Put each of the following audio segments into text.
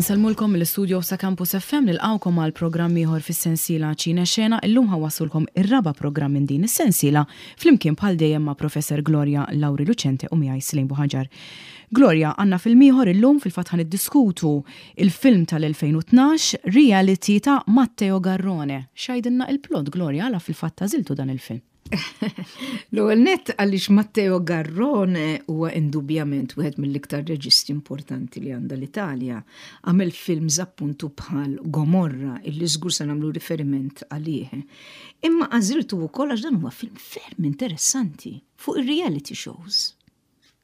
Insellmulkom mill-istudio sa Campus FM nilqgħukom għal programm ieħor fis-sensiela Ċine Xena. Illum ħawassulkom ir-raba' programm minn din is-sensiela flimkien bħal dejjem ma' Professor Gloria Lauri Lucente u miegħi Slim Buħaġar. Gloria, għandna film ieħor illum fil-fatt ħa niddiskutu il-film tal-2012 Reality ta' Matteo Garrone. X'għidilna il-plot Gloria għala fil-fatt għażiltu dan il-film? L-ewwel nett għaliex Matteo Garrone huwa indubjament wieħed mill-iktar reġisti importanti li għandha l-Italja. Għamel films appuntu bħal Gomorra illi żgur se nagħmlu riferiment għalih. Imma għażiltu wkoll għax dan huwa film ferm interessanti fuq ir-reality shows.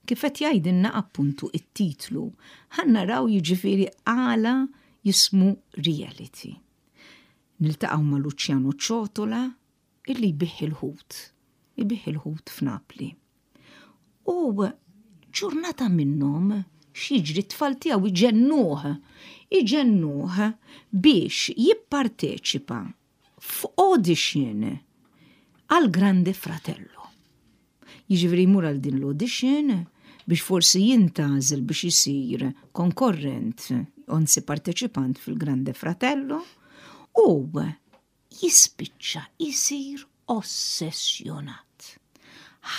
Kif qed jgħidilna appuntu it-titlu, ħa naraw jiġifieri għala jismu reality. Niltaqgħu ma' Luciano Ciotola illi jbigħ il-ħut, ibigħ il-ħut f'Napli. U ġurnata minnhom x'jiġri t-tfal tiegħu iġennuh, iġennuh biex jipparteċipa f'audition għal Grande Fratello. Jiġifieri jmur għal din l-audition biex forsi jintgħażel biex isir konkorrent, anzi parteċipant fil-Grande Fratello u jispiċċa jsir ossessjonat.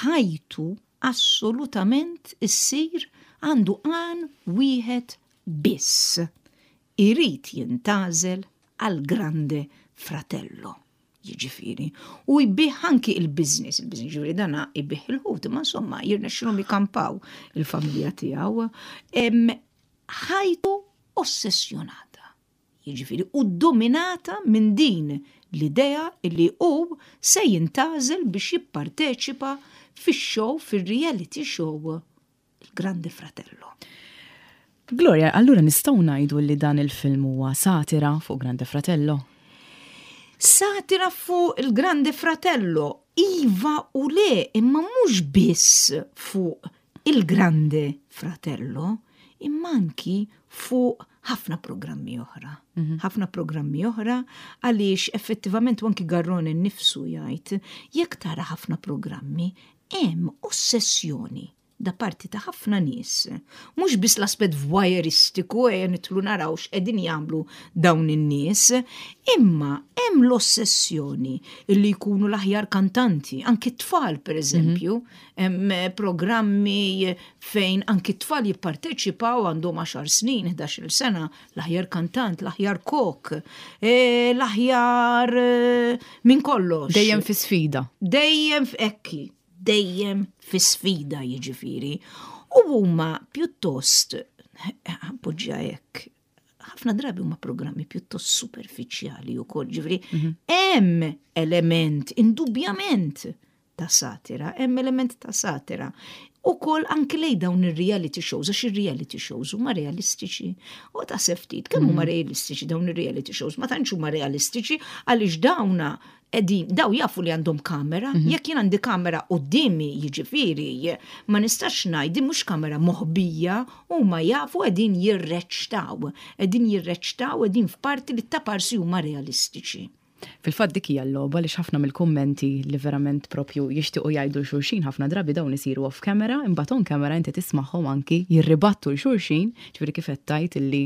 Ħajtu assolutament issir għandu għan wieħed biss, irid jintgħażel għall-Grande Fratello. Jiġifieri, u jbigħ anki il-business, il-business jiġifieri dana jbigħ il-ħut, imma insomma jirnexxilhom jikampaw il-familja tiegħu. Ħajtu ossessjonata. Jiġifieri u ddominata minn din l-idea li hu se jintgħażel biex jipparteċipa fix-show, fir-reality show Il-Grande Fratello. Gloria, allura nistgħu ngħidu li dan il-film huwa satira fuq Grande Fratello? Satira fuq il-Grande Fratello, iva u le, imma mhux biss fuq il-Grande Fratello, imma anki fuq ħafna programmi oħra. Mhm. Ħafna programmi oħra għaliex effettivament u anki Garrone nnifsu jgħid jekk tara ħafna programmi hemm ossessjoni da parti ta' ħafna nies. Mhux biss l-aspett voyeuristiku ejja nidħlu naraw x'qegħdin jagħmlu dawn in-nies, imma hemm l-ossessjoni li jkunu l-aħjar kantanti, anki t-tfal pereżempju, mhm. Hemm programmi fejn anki t-tfal jipparteċipaw għandhom 10 snin, 11-il sena, l-aħjar kantant, l-aħjar kok, e, l-aħjar e, minn kollox. Dejjem fi sfida. Dejjem f'ekki, dejjem fi sfida jiġifieri. U huma pjuttost, poġġja hekk, ħafna drabi huma programmi pjuttost superfiċjali wkoll, ġifieri mhm. hemm element indubjament ta' satira, hemm element ta' satira. Ukoll anki lej dawn ir-reality shows, għax ir-reality shows huma realistiċi. U ta' ftit, kemm huma mm. realistiċi dawn ir-reality shows? Ma tantx huma realistiċi għaliex dawna edin, daw jafu li għandhom kamera, mhm. jekk jien għandi kamera qudiemi jiġifieri, ma nistax ngħid mhux kamera moħbija, huma jafu qegħdin jirreċtaw, qegħdin jirreċtaw qegħdin f'parti li taparsi huma realistiċi. Fil-fatt dik hija l-logħba għaliex ħafna mill-kummenti li verament propju jixtiequ jgħidu 'l xulxin ħafna drabi dawn isiru off camera imbagħad on camera inti tismagħhom anki jirribattu 'l xulxin, ġifieri kif qed tgħid illi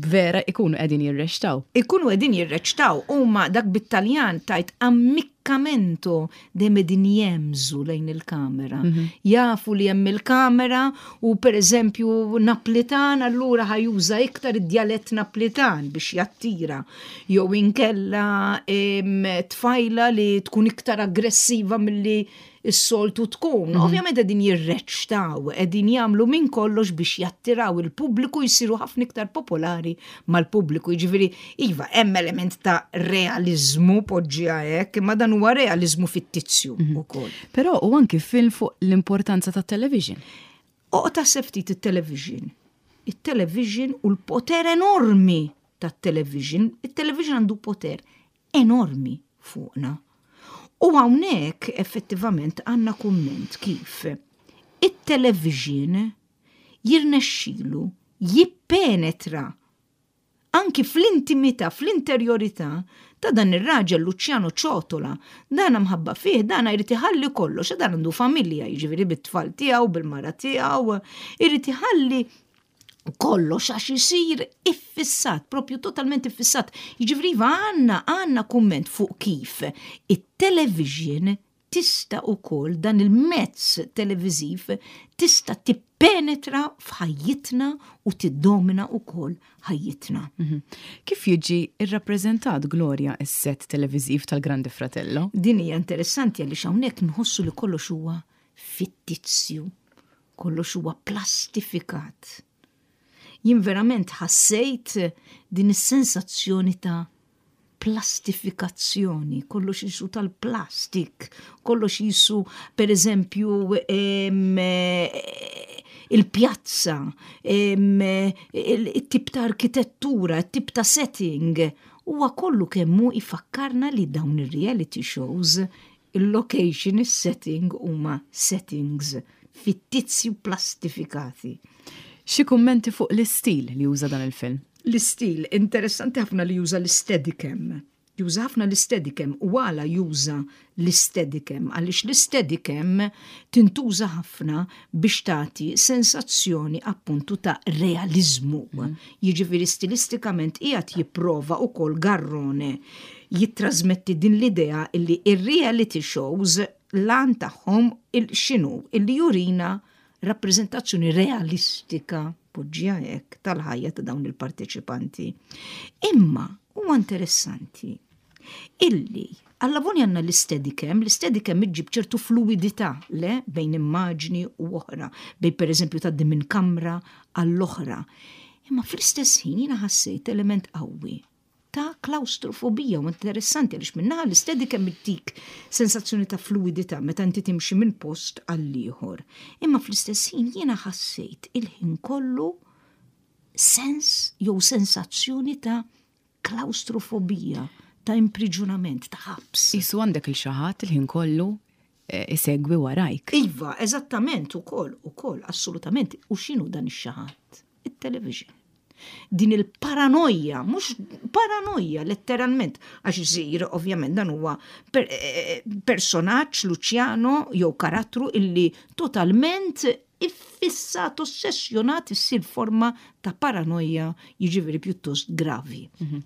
vera ikunu qegħdin jirreċtaw. Ikunu qegħdin jirreċtaw, huma dak bit-Taljan tgħid ammiccamento dejjem qegħdin jehmżu lejn il-kamera. Mhm. Jafu li hemm il-kamera u pereżempju Naplitan allura ħajuża iktar id-djalett Naplitan biex jattira. Jew inkella tfajla li tkun iktar aggressiva milli s-soltu tkun. Mhm. Ovvjament qegħdin jirreċtaw, qegħdin jagħmlu minn kollox biex jattiraw il-pubbliku jsiru ħafna iktar popolari mal-pubbliku. Jiġifieri, iva, hemm element ta' realiżmu poġġiha hekk, imma dan huwa realiżmu fittizju mhm. ukoll. Però u anki film fuq l-importanza tat-television. Oqgħod aħseb ftit it-television. It-television u l-poter enormi tat-television. It-television għandu poter enormi fuqna. U hawnhekk effettivament għandna kumment kif it-television jirnexxilu jippenetra anki fl-intimità, fl-interjorità ta' dan ir-raġel Luciano Ciotola. Dan mħabba fih, dan jrid iħalli kollox, dan għandu familja, jiġifieri bit-tfal tiegħu, bil-mara tiegħu, irid iħalli. Kollox għax isir iffissat, propju totalment iffissat. Jiġifieri iva għandna għandna kumment fuq kif it-television tista' ukoll dan il-mezz televiżiv tista' tippenetra f'ħajjitna u tiddomina ukoll ħajjitna. Mhm. Kif jiġi rrappreżentat Gloria s-set televiżiv tal-Grande Fratello? Din hija interessanti għaliex hawnhekk nħossu li kollox huwa fittizju, kollox huwa plastifikat. Jien verament ħassejt din is-sensazzjoni ta' plastifikazzjoni, kollox jisu tal-plastik, kollox jisu per eżempju il-pjazza, il-tip ta' arkitettura, il-tip ta' setting, huwa kollu kemmu ifakkarna li dawn ir-reality shows il-location, is-setting huma settings fittizji u plastifikati. Xi kummenti fuq l-istil li juża dan il-film? L-istil, interessanti ħafna li juża l-steadicam. Juża ħafna l-steadicam u għala juża l-steadicam għaliex l-steadicam tintuża ħafna biex tagħti sensazzjoni appuntu ta' realiżmu. Mm. Jiġifieri stilistikament qiegħed jipprova wkoll Garrone jittrażmetti din l-idea illi ir-reality shows l-għan tagħhom x'inhu illi jurina rappreżentazzjoni realistika poġġija hekk tal-ħajja ta' dawn il-parteċipanti. Imma huwa interessanti illi Allavoni għandna l-steadicam, l-steadicam iġġib ċertu fluidità le bejn immaġni u oħra, bejn pereżempju tgħaddi minn kamra għall-oħra. Imma fl-istess ħin jiena ħassejt element qawwi ta' klaustrofobija u interessanti għaliex minnaħa l-steadicam ittik sensazzjoni ta' fluidità meta inti timxi minn post għall-ieħor. Imma fl-istess ħin jiena ħassejt il-ħin kollu sens jew sensazzjoni ta' klaustrofobija, ta' impriġunament, ta' ħabs. Isu għandek il xi ħadd il-ħin kollu eh, isegwi warajk. Iva, eżattament ukoll, ukoll, assolutament. U x'inhu dan ix-xi ħadd? It-television. Din il-paranoja, mhux paranoja letteralment, għax isir ovvjament dan huwa per, eh, personaġġ Luciano jew karattru illi totalment iffissat, ossessjonat issir forma ta' paranoja jiġifieri pjuttost gravi. Mhm.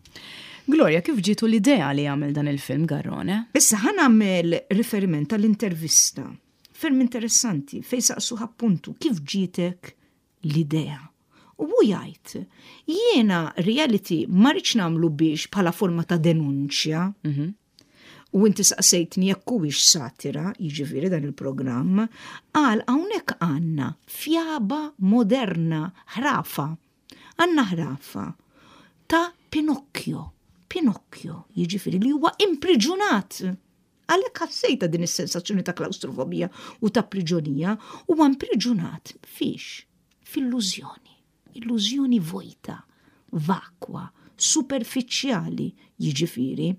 Gloria, kif ġietu l-idea li jagħmel dan il-film Garrone? Issa ħa nagħmel riferiment għall-intervista ferm interessanti fejn saqsuh appuntu kif ġietek l-idea. U hu jgħid, jiena reality ma rridx nagħmlu biex bħala forma ta' denunċja. Mhm. U inti saqsejtni jekk huwiex satira, jiġifieri dan il-programm, qal hawnhekk għandna fjaba moderna, ħrafa. Għandna ħrafa ta' Pinocchio. Pinocchio, jiġifieri li huwa impriġunat. Għalhekk ħassejta din is-sensazzjoni ta' klaustrofobija u ta' priġonija, huwa impriġunat fiex? F'illużjoni. Illużjoni vojta, vakwa, superfiċjali, jiġifieri.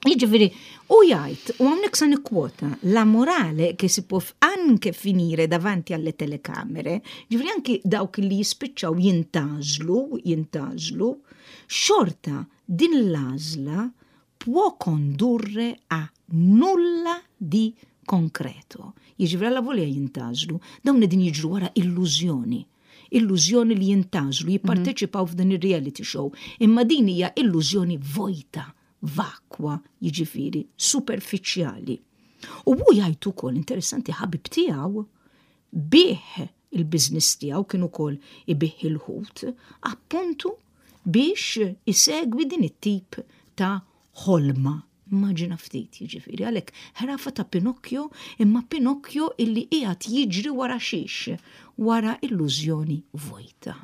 Jiġifieri, u jgħid, u hawnhekk sa nikkwota, la morale che si può anche finire davanti alle telecamere, jiġifieri anki dawk li jispiċċaw jintgħażlu, jintgħażlu, xorta din l-għażla può condurre a nulla di concreto. Jiġifieri allavolja jintgħażlu, dawn qegħdin jiġru wara illużjoni. Illużjoni li jintgħażlu, jipparteċipaw f'dan ir-reality show, imma din hija illużjoni vojta, vakwa, jiġifieri superfiċjali. U hu jgħid ukoll interessanti ħabib tiegħu bih il-business tiegħu kien ukoll ibih il-ħut, appuntu biex isegwi din it-tip ta' ħolma. Immaġina ftit, jiġifieri, għalhekk ħrafa ta' Pinocchio, imma Pinocchio illi qiegħed jiġri wara xiex, wara illużjoni vojta.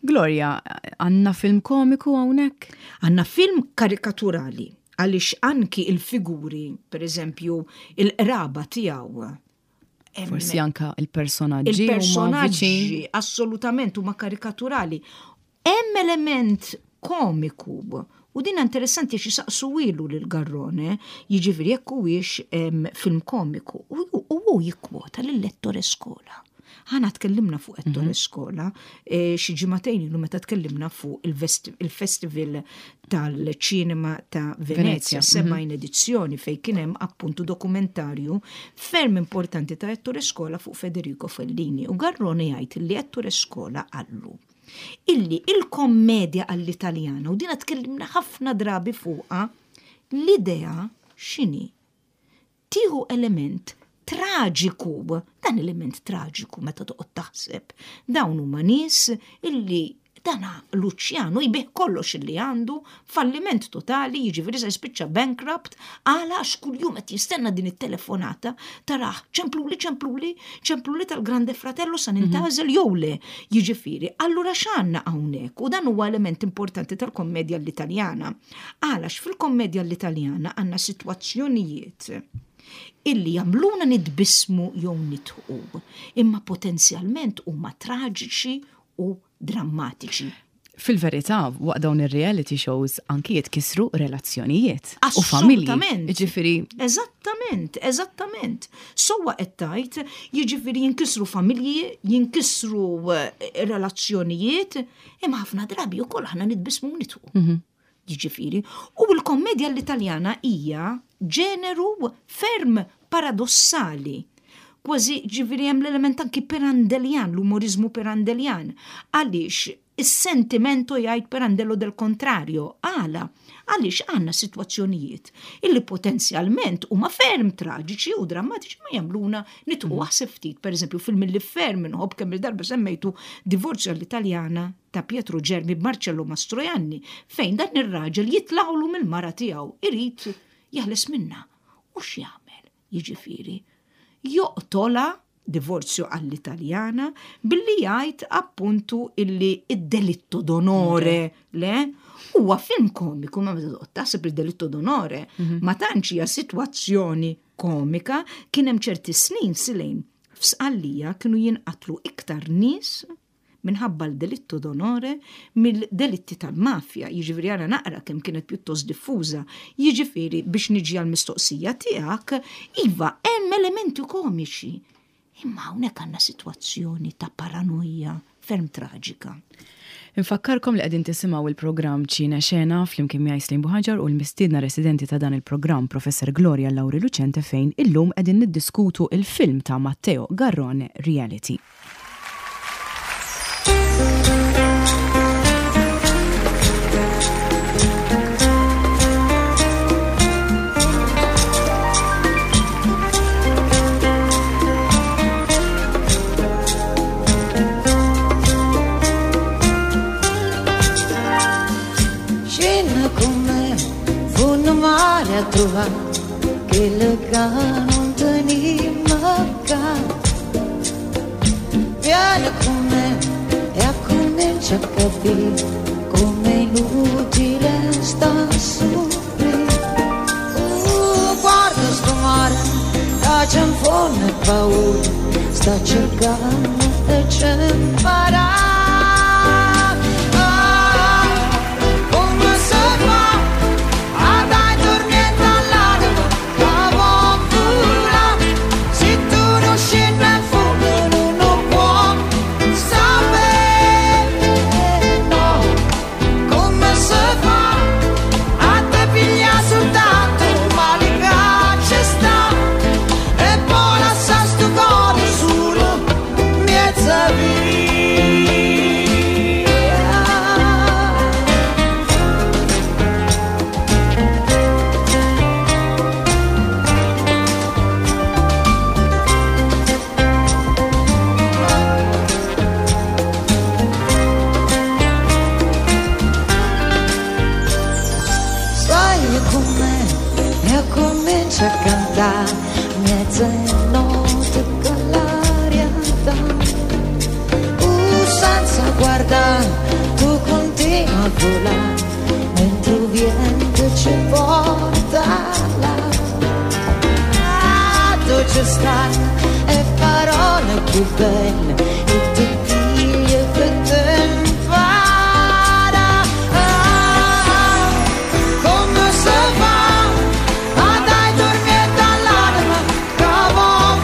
Gloria, għandna film komiku hawnhekk? Għandna film karikaturali, għaliex anki il-figuri, per eżempju, il-qraba tiegħu, Forsi anka il-personaġġi. Il-personaġġi assolutament huma karikaturali. Hemm element komiku u din interessanti xi saqsu ilu lil Garrone, jiġifieri jekk huwiex film komiku u hu jikkwota lil Ettore Scola. Aħna tkellimna fuq Ettore Scola xi ġimagħtejn ilu meta tkellimna fuq il-Festival tal-Ċinema ta' Venezja, 70 edizzjoni fejn kien hemm appuntu dokumentarju ferm importanti ta' Ettore Scola fuq Federico Fellini u Garrone jgħid li Ettore Scola qallu illi il-kommedja għall-Italjana, u dina tkellimna ħafna drabi fuqha, l-idea x'inhi? Tieħu element traġiku, dan element traġiku meta toqgħod taħseb. Dawn huma nies illi dana Luciano jbigħ kollox illi għandu, falliment totali, jiġifieri se jispiċċa bankrupt, għala għax kuljum qed jistenna din it-telefonata tarah ċempluli, ċempluli, ċempluli tal-Grande Fratello sa nintgħażel jew le. Jiġifieri, allura x'għandna hawnhekk? U dan huwa element importanti tal-kommedja l-Italjana. Għala għax fil-kommedja l-Italjana għandna sitwazzjonijiet illi jagħmluna nitbissmu jew nidħqu, imma potenzjalment huma traġiċi u drammatiċi. Fil-verità, waqt dawn ir-reality shows anki jitkissru relazzjonijiet u familji. Assolutament. Jiġifieri. Eżattament, eżattament. Sewwa qed tgħid, jiġifieri jinkisru familji, jinkisru relazzjonijiet, imma ħafna drabi wkoll aħna nitbissmu u nidħqu. Jiġifieri, u l-kommedja l-Italjana hija ġeneru ferm paradossali. Kważi ġifieri hemm l-element anki Pirandellian, l-umorizmu Pirandellian. Għaliex is-sentimento jgħid Pirandello del contrario. Għala? Għaliex għandna sitwazzjonijiet illi potenzjalment huma ferm traġiċi u drammatiċi ma jagħmluna nidħqu aħseb ftit. Per eżempju, film li ferm inħobb kemm il-darba semmejtu Divorzio all'Italiana ta' Pietro Germi b'Marcello Mastroianni, fejn dan ir-raġel jitlaqlu mill-mara tiegħu, irid jeħles minnha. U x'jagħmel? Jiġifieri, joqtolha divorzju għall-Italjana billi jgħid appuntu illi id-delitto d'onore, le? Huwa film komiku, ma meta toqgħod taħseb il-delitto d'onore, ma tantx hija sitwazzjoni komika, kien hemm ċerti snin silejn f'Sqallija kienu jinqatlu iktar nies minħabba l-delitto d'onore mill-delitti tal-mafja, jiġifieri ara naqra kemm kienet pjuttost diffuża. Jiġifieri biex niġi għall-mistoqsija tiegħek, iva hemm elementi komiċi. Imma hawnhekk għandna sitwazzjoni ta' paranoja ferm traġika. Infakkarkom li qegħdin tisimgħu il-programm Ċine Xena flimkien miegħi Slim Buhaġar u l-mistiedna residenti ta' dan il-programm Professor Gloria Lauri Lucente fejn illum qegħdin niddiskutu il-film ta' Matteo Garrone Reality. Vieni con me e accomincia a capire come è inutile sta soffrire. Guarda sto mare, che c'è un fondo e paura, sta cercando e c'è imparare. Come si fa a dare tormento all'anima che vuoi volare? Se tu non scendi in fondo non lo puoi sapere, no. Come si fa a te pigliare soltanto il male che ci sta e poi lasciare sto cuore solo mezza via. Sbagli con me e comincia a cantare mezzanotte con l'aria dà. Senza guardare tu continui a volare mentre il vento ci porta là. Ah, tu ci stai e parole più belle e ti piglio per te impara. Ah, come si fa a dare tormento all'anima che vuoi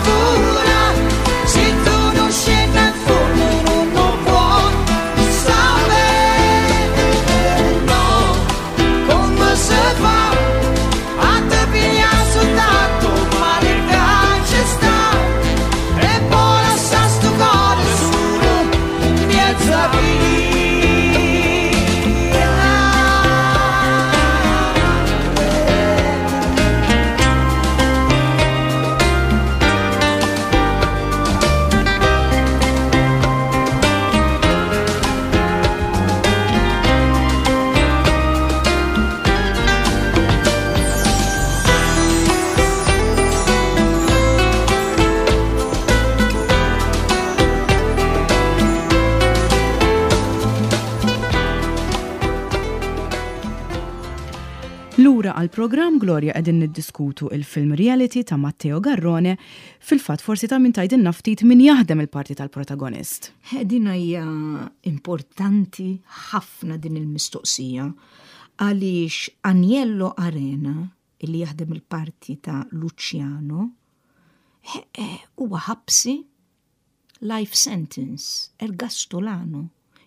volare? Se tu non scendi Lura għall-programm Gloria qegħdin niddiskutu il-film Reality ta' Matteo Garrone, fil-fatt forsi ta' min tgħidilna ftit min jaħdem il-parti tal-protagonist. Din hija importanti ħafna din il-mistoqsija għaliex Aniello Arena illi jaħdem il-parti ta' Luciano huwa ħabsi life sentence, ergastolano,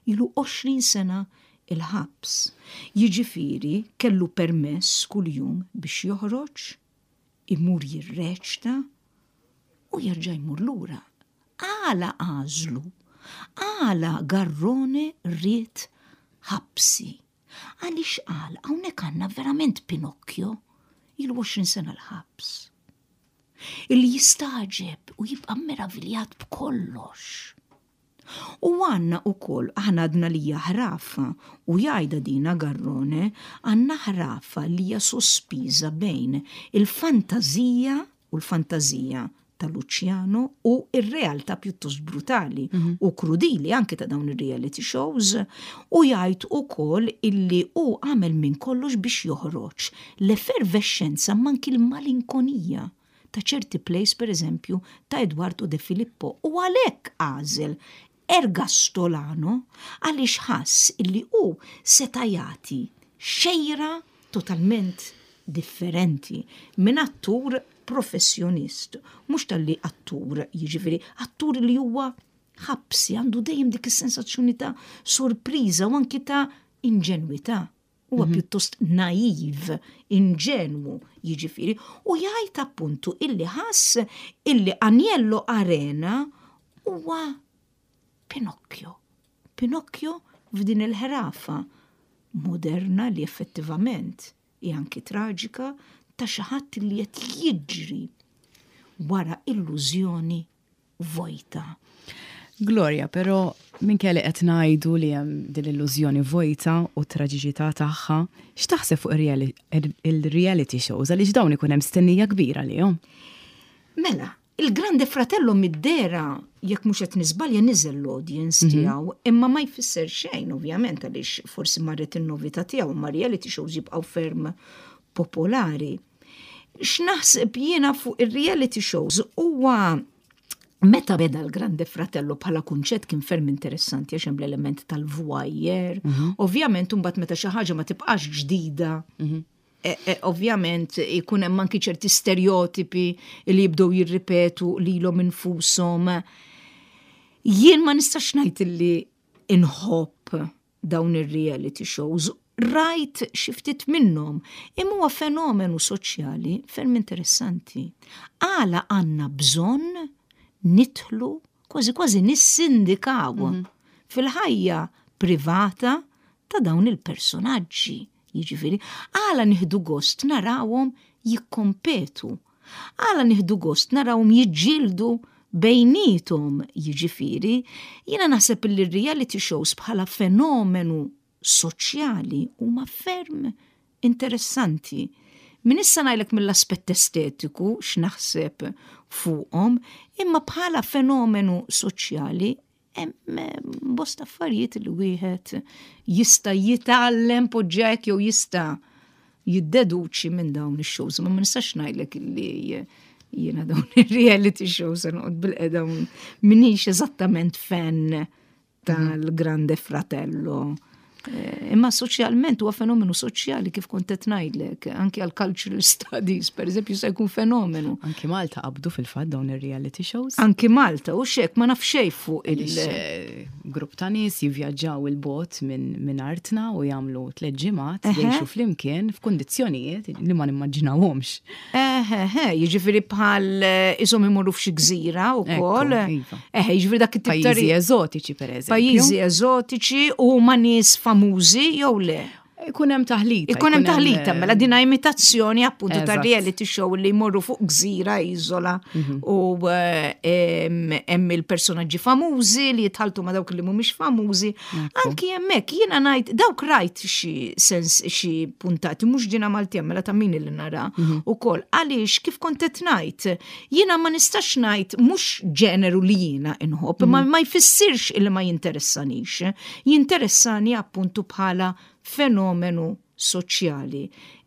ilu 20 sena il-ħabs. Jiġifieri kellu permess kuljum biex joħroġ, imur jirreċta u jerġa' jmur lura. Għala għażlu? Għala Garrone ried ħabsi? Għaliex qal hawnhekk għandna verament Pinocchio ilu 20 sena l-ħabs. Illi jistagħġeb u jibqa' meraviljat b'kollox. U għandna ukoll, aħna għadna li hija ħrafa, u jgħidha dina Garrone, għandna ħrafa li hija sospiża bejn il-fantażija u l-fantażija ta' Luciano u r-realtà pjuttost brutali mhm. u krudili anke ta' dawn ir-reality shows u jgħid ukoll illi hu għamel minn kollox biex joħroġ l-effervescenza manki l-malinkonija ta' ċerti plays per eżempju ta' Eduardo De Filippo u għalhekk għażel Ergastolano għaliex ħass illi hu seta' jagħti xejra totalment differenti minn attur professjonist, mhux talli attur, jiġifieri attur li huwa ħabsi, għandu dejjem dik is-sensazzjoni ta' sorpriża u anki ta' inġenwità. Huwa mhm. pjuttost naiv, inġenwu, jiġifieri, u jgħid appuntu illi ħass illi Aniello Arena huwa Pinocchio. Pinocchio f'din il-ħrafa moderna li effettivament hi anki traġika ta' xi ħadd li qed jiġri wara illużjoni vojta. Gloria, però minkejja li qed ngħidu li hemm din l-illużjoni vojta u t-traġiċità tagħha, x'taħseb fuq il-reality shows għaliex dawn ikun hemm stennija kbira għalihom? Mela, il-Grande Fratello mid-dehra, jekk mhux qed niżbalja, niżel l-audience mhm. tiegħu, imma ma jfisser xejn ovvjament għaliex forsi marret in-novità tiegħu, imma reality shows jibqgħu ferm popolari. X'naħseb jiena fuq ir-reality shows huwa meta beda l-Grande Fratello bħala kunċett kien ferm interessanti għax hemm l-element tal-voyeur. Mhm. Ovvjament imbagħad meta xi ħaġa ma tibqax ġdida. Mhm. E, e, ovvjament ikun hemm anki ċerti stereotipi li jibdew jirripetu lilhom infushom. Jien ma nistax ngħid li inħobb dawn ir-reality shows, rajt xi ftit minnhom, imma huwa fenomenu soċjali ferm interessanti. Għala għandna bżonn nidħlu kważi kważi nissindikaw mhm. fil-ħajja privata ta' dawn il-personaġġi. Jiġifieri, għala nieħdu gost narawhom jikkompetu Għala nieħdu gost narawhom jiġġieldu bejniethom, jiġifieri, jiena naħseb li r-reality shows bħala fenomenu soċjali huma ferm interessanti. Min issa ngħidlek mill-aspett estetiku x'naħseb fuqhom, imma bħala fenomenu soċjali Hemm eh, bosta affarijiet li wieħed jista' jitgħallem poġġek jew jista' jiddeduċi minn dawn ix-shows. Ma ma nistax ngħidlek li jiena dawn ir-reality shows se noqgħod bil-qeda minix eżattament fan tal-Grande Fratello. Eh, imma soċjalment huwa fenomenu soċjali kif kont qed ngħidlek, anki għal cultural studies, per eżempju, se jkun fenomenu. Anki Malta qabdu fil-fatt dawn ir-reality shows. Anki Malta, u xek ma naf xejn fuq il- eh, Grupp ta' nies jivvjaġġaw il-bot minn artna u jagħmlu tliet ġimgħat jgħixu flimkien f'kundizzjonijiet li ma nimmaġinawhomx. Eħe, jiġifieri bħal eh, isom imorru f'xi gżira wkoll. Iva. Eħe, jiġifieri dak it-tip ta' Pajjiżi eżotiċi pereżempju. Pajjiżi eżotiċi u ma nies famużi jew le. Ikun hemm taħlita. Ikun hemm taħlita, mela din imitazzjoni appuntu ta' reality show li jmorru fuq gżira iżola mhm. u eh, hemm il-personaġġi famużi li jitħaltu ma' dawk li mhumiex famużi. Anki hemmhekk jiena ngħid dawk rajt xi sens xi puntati mhux ġina Malti mela ta' min li nara mhm. ukoll għaliex kif kont qed ngħid jiena ma nistax ngħid mhux ġeneru li jiena inħobb mm ma jfissirx illi ma jinteressanix. Jinteressani appuntu bħala fenomenu. soċjali.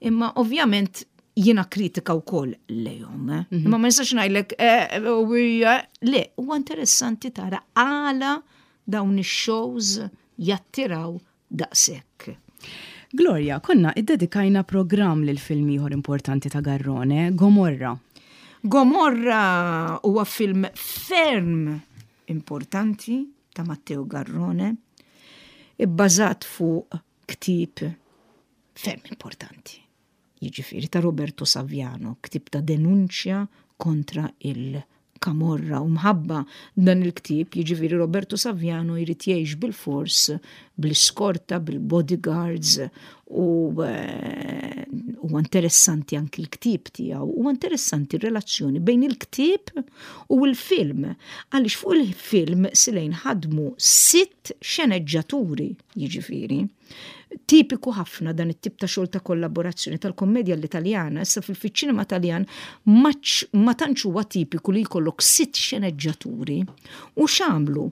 Imma ovvjament jiena kritika wkoll lejhom. Eh? Mhm. Imma ma nistax ngħidlek eh, eh, le, huwa interessanti tara għala dawn ix-shows jattiraw daqshekk. Gloria, konna iddedikajna programm lil film ieħor importanti ta' Garrone, Gomorra. Gomorra huwa film ferm importanti ta' Matteo Garrone, ibbażat fuq ktieb ferm importanti, jiġifieri ta' Roberto Saviano, ktieb ta' denunċja kontra il-Kamorra u mħabba dan il-ktieb, jiġifieri Roberto Saviano jrid jgħix bilfors bl-iskorta, bil-bodyguards u eh, huwa interessanti anki l-ktieb tiegħu, huwa interessanti r-relazzjoni bejn il-ktieb u l-film. Għaliex fuq il-film Silejn ħadmu sitt xeneġġaturi, jiġifieri. Tipiku ħafna dan it-tip ta' xogħol ta' kollaborazzjoni tal-kommedja l-Italjana, issa fil-ċinema Taljan ma tantx huwa tipiku li jkollok sitt xeneġġaturi. U x'għamlu?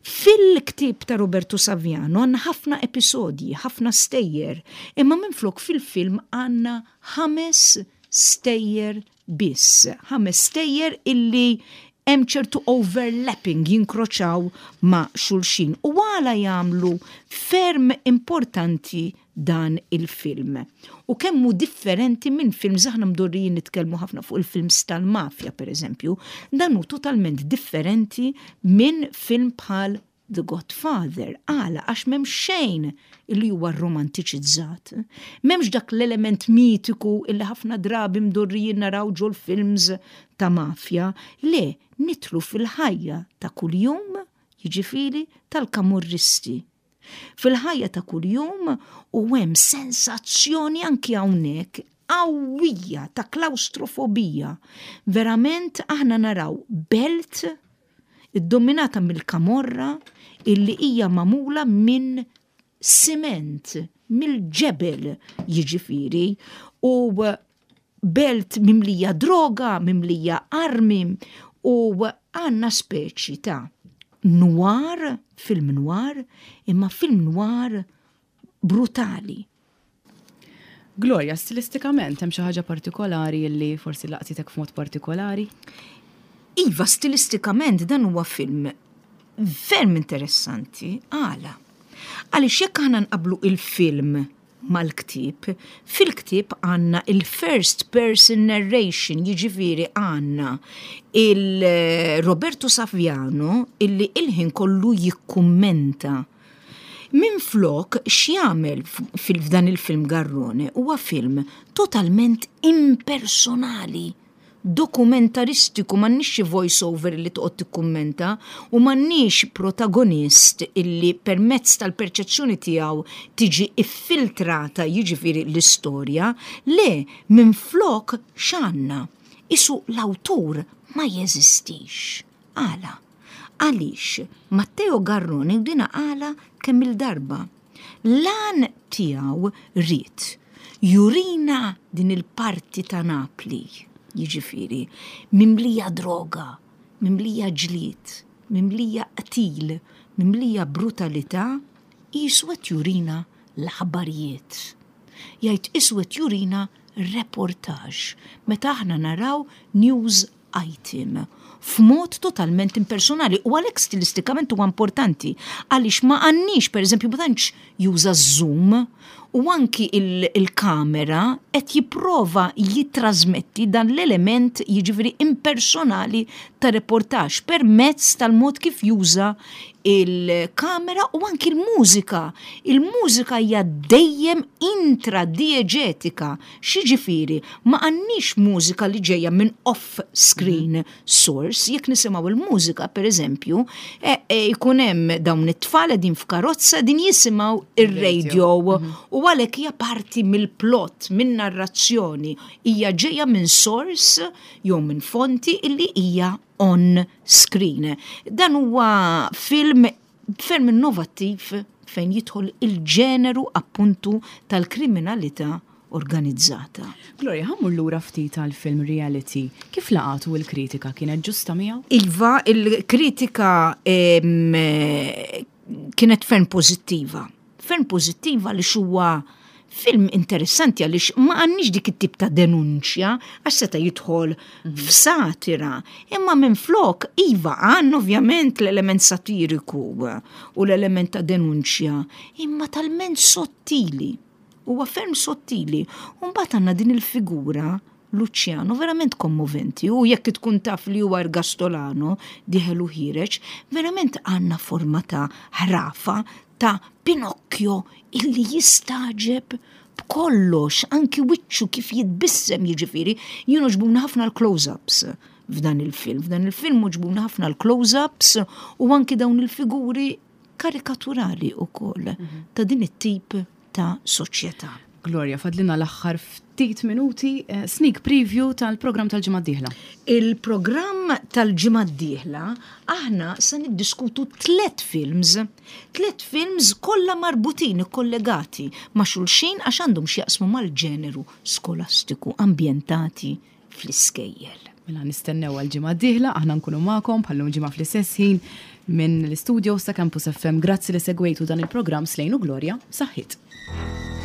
Fil-ktieb ta' Roberto Saviano għandna ħafna episodji, ħafna stejjer, imma minflok fil-film għandna ħames stejjer biss, ħames stejjer illi hemm ċertu overlapping jinkroċaw ma' xulxin u għala jagħmlu ferm importanti dan il-film. U kemm hu differenti minn films aħna mdorrijin nitkellmu ħafna fuq il-films tal-mafja pereżempju, dan hu totalment differenti minn film bħal The Godfather. Għala? Għax m'hemm xejn illi huwa romantiċizzat. M'hemmx dak l-element mitiku illi ħafna drabi mdorrijin naraw ġol-films ta' mafja. Le, nidħlu fil-ħajja ta' kuljum, jiġifieri tal-kamorristi. Fil-ħajja ta' kuljum u hemm sensazzjoni anki hawnhekk qawwija ta' klawstrofobija. Verament aħna naraw belt iddominata mill-kamorra illi hija magħmula minn siment, mill-ġebel jiġifieri, u belt mimlija droga, mimlija armi u għandna speċi ta' noir, film noir, imma film noir brutali. Gloria, stilistikament hemm xi ħaġa partikolari li forsi laqtitek f'mod partikolari? Iva, stilistikament dan huwa film ferm interessanti. Għala? Għaliex jekk aħna nqablu il-film mal-ktieb, fil-ktieb għandna il-first person narration, jiġifieri għandna il-Roberto Saviano illi il-ħin kollu jikkummenta. Minflok x'jagħmel f'dan il-film Garrone huwa film totalment impersonali dokumentaristiku, m'għandniex xi voice over li toqgħod tikkummenta u m'għandniex protagonist illi permezz tal-perċezzjoni tiegħu tiġi iffiltrata jiġifieri l-istorja, le, minflok x'għandna? Isu l-awtur ma jeżistix. Għala? Għaliex Matteo Garrone u dina qalha kemm-il darba. L-għan tiegħu ried jurina din il-parti ta' Napli, jiġifieri, mimlija droga, mimlija ġlied, mimlija qtil, mimlija brutalità, qisu qed jurina l-aħbarijiet. Jgħid qisu qed jurina reportage, meta aħna naraw news item f'mod totalment impersonali u għalhekk stilistikament huwa importanti għaliex ma għandniex pereżempju ma tantx juża zoom u anki il-kamera qed jipprova jittrażmetti dan l-element jiġifieri impersonali ta' reportaġġ permezz tal-mod kif juża il-kamera u anki l-mużika. Il-mużika hija dejjem intradieġetika X'jiġifieri, ma għandniex mużika li ġejja minn off-screen source, jekk nisimgħu l-mużika, per eżempju, e, e, jkun hemm dawn it-tfal qegħdin f'karozza din jisimgħu ir-radio mhm. u għalhekk hija parti mill-plot, minn narrazzjoni, hija ġejja minn source jew minn fonti illi hija on screen. Dan huwa film ferm innovattiv fejn jidħol il-ġeneru appuntu tal-kriminalità organizzata. Gloria, ħa mmur lura ftit għall-film Reality. Kif laqatu l-kritika? Kienet ġusta miegħu? Iva, il-kritika kienet ferm pożittiva. Ferm pożittiva li huwa Film interessanti għaliex ma għandniex dik it-tip ta' denunċja għax seta' jidħol f'satira, imma minflok iva għandna ovvjament l-element satiriku u l-element ta' denunċja, imma talment sottili. Huwa ferm sottili. U mbagħad għandna din il-figura Luciano verament kommoventi u jekk tkun taf li huwa Ergastolano dieħel u ħiereġ, verament għandna forma ta' ħrafa ta' Pinocchio illi jistagħġeb b'kollox, anki wiċċu kif jitbissem jiġifieri, jien għoġbuna ħafna l-close-ups f'dan il-film. F'dan il-film għoġbuna ħafna l-close-ups u anki dawn il-figuri karikaturali wkoll ta' din it-tip ta' soċjetà. Gloria, fadlina l-aħħar ftit minuti, eh, sneak preview tal-programm tal-ġimgħa d-dieħla. Il-programm tal-ġimgħa d-dieħla aħna se niddiskutu tlet films, tlet films kollha marbutin, ikkollegati ma' xulxin għax għandhom x'jaqsmu mal-ġeneru skolastiku ambjentati fl-iskejjel. Mela nistennew għal ġimgħa d-dieħla, aħna nkunu magħkom bħallum ġimgħa fl-istess ħin minn l-istudio sa Campus FM. Grazzi li segwejtu dan il-programm Slejnu Gloria, saħħit.